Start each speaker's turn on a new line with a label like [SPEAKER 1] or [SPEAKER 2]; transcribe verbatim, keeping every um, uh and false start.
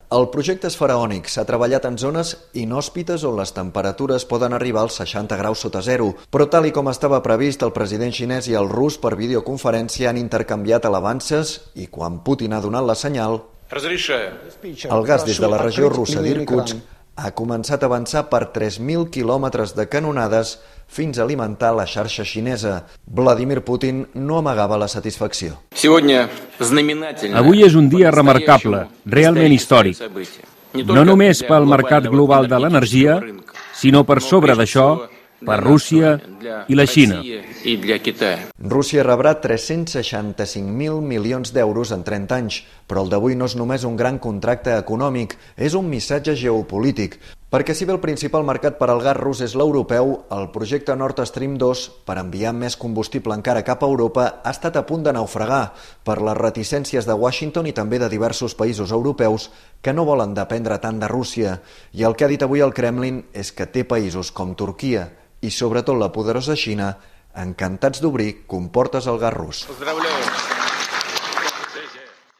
[SPEAKER 1] El projecte és faraònic, s'ha treballat en zones inhòspites on les temperatures poden arribar als seixanta graus sota zero, però tal i com estava previst, el president xinès i el rus per videoconferència han intercanviat alabances i quan Putin ha donat la senyal, el gas des de la regió russa d'Irkutsk ha començat a avançar per tres mil quilòmetres de canonades fins a alimentar la xarxa xinesa. Vladimir Putin no amagava la satisfacció.
[SPEAKER 2] Avui és un dia remarcable, realment històric. No només pel mercat global de l'energia, sinó per sobre d'això, per Rússia i la Xina.
[SPEAKER 1] Rússia rebrà tres-cents seixanta-cinc mil milions d'euros en trenta anys, però el d'avui no és només un gran contracte econòmic, és un missatge geopolític, perquè si bé el principal mercat per al gas rus és l'europeu, el projecte Nord Stream dos, per enviar més combustible encara cap a Europa, ha estat a punt de naufragar per les reticències de Washington i també de diversos països europeus que no volen dependre tant de Rússia. I el que ha dit avui el Kremlin és que té països com Turquia i sobretot la poderosa Xina encantats d'obrir comportes al gas rus.